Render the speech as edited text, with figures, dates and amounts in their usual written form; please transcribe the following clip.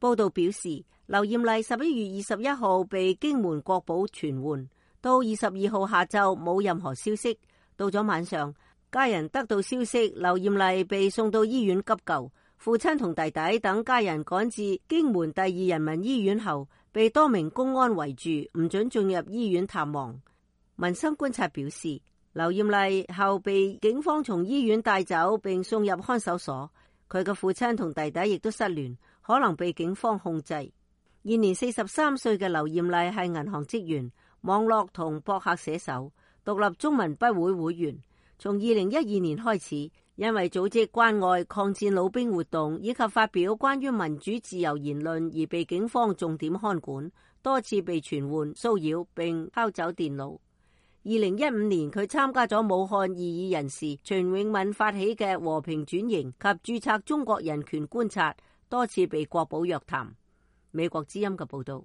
報道表示，劉艷麗11月21號被經門國保傳喚，到22號下晝冇任何消息。到咗晚上，家人得到消息，劉艷麗被送到醫院急救。父親同弟弟等家人趕至經門第二人民醫院後，被多名公安圍住，唔准進入醫院探望。民生觀察表示，劉艷麗後被警方從醫院帶走並送入看守所，佢嘅父親同弟弟亦都失聯，可能被警方控制。現年43歲嘅劉艷麗係銀行職員、網絡同博客寫手、獨立中文筆會會員。從2012年開始，因為組織關愛抗戰老兵活動以及發表關於民主自由言論而被警方重點看管，多次被傳喚、騷擾並偷走電腦。2015年，佢參加咗武漢異議人士徐永敏發起嘅和平轉型及註冊中國人權觀察，多次被國保約談。美國之音嘅報道。